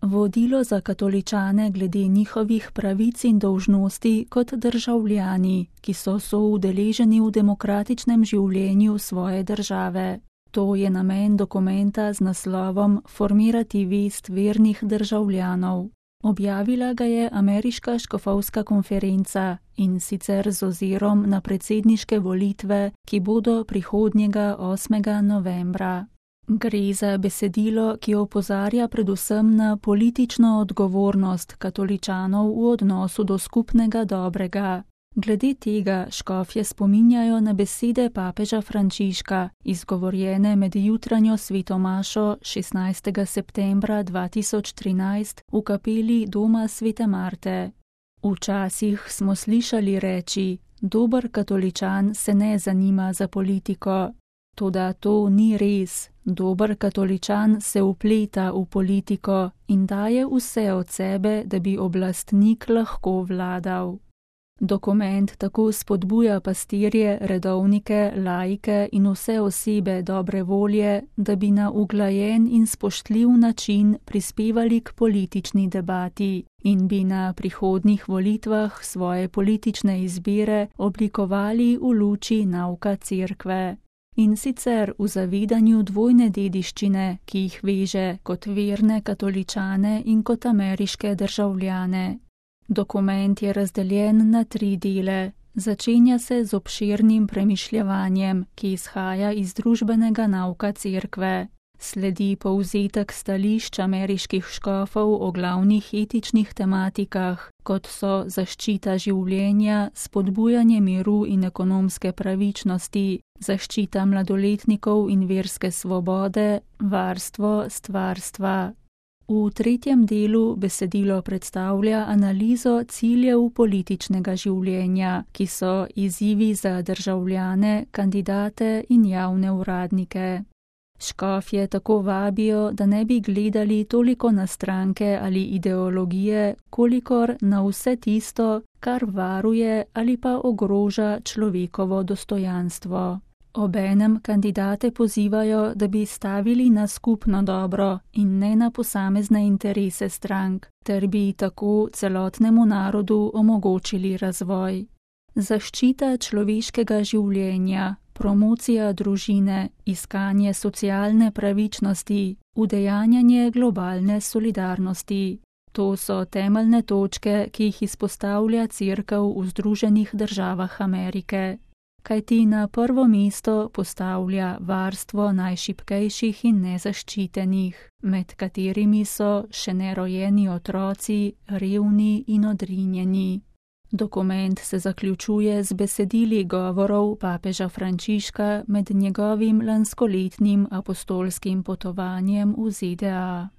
vodilo za katoličane glede njihovih pravic in dolžnosti kot državljani, ki so soudeleženi v demokratičnem življenju svoje države. To je namen dokumenta z naslovom Formirati vest vernih državljanov. Objavila ga je Ameriška škofovska konferenca in sicer z ozirom na predsedniške volitve, ki bodo prihodnjega 8. novembra. Gre za besedilo, ki opozarja predvsem na politično odgovornost katoličanov v odnosu do skupnega dobrega. Glede tega škofje spominjajo na besede papeža Frančiška, izgovorjene med jutranjo svetomašo 16. septembra 2013 v kapeli doma Svete Marte. Včasih smo slišali reči, dober katoličan se ne zanima za politiko. Toda to ni res. Dober katoličan se vpleta v politiko in daje vse od sebe, da bi oblastnik lahko vladal. Dokument tako spodbuja pastirje, redovnike, laike in vse osebe dobre volje, da bi na uglajen in spoštljiv način prispevali k politični debati in bi na prihodnjih volitvah svoje politične izbire oblikovali v luči nauka cerkve. In sicer v zavedanju dvojne dediščine, ki jih veže kot verne katoličane in kot ameriške državljane. Dokument je razdeljen na 3 dele. Začenja se z obširnim premišljevanjem, ki izhaja iz družbenega nauka cerkve. Sledi povzetek stališč ameriških škofov o glavnih etičnih tematikah, kot so zaščita življenja, spodbujanje miru in ekonomske pravičnosti, zaščita mladoletnikov in verske svobode, varstvo stvarstva. V 3. delu besedilo predstavlja analizo ciljev političnega življenja, ki so izzivi za državljane, kandidate in javne uradnike. Škofje tako vabijo, da ne bi gledali toliko na stranke ali ideologije, kolikor na vse tisto, kar varuje ali pa ogroža človekovo dostojanstvo. Obenem kandidate pozivajo, da bi stavili na skupno dobro in ne na posamezne interese strank, ter bi tako celotnemu narodu omogočili razvoj. Zaščita človeškega življenja, promocija družine, iskanje socialne pravičnosti, udejanjanje globalne solidarnosti. To so temeljne točke, ki jih izpostavlja cerkev v Združenih državah Amerike. Kajti na prvo mesto postavlja varstvo najšibkejših in nezaščitenih, med katerimi so še nerojeni otroci, revni in odrinjeni. Dokument se zaključuje z besedili govorov papeža Frančiška med njegovim lanskoletnim apostolskim potovanjem v ZDA.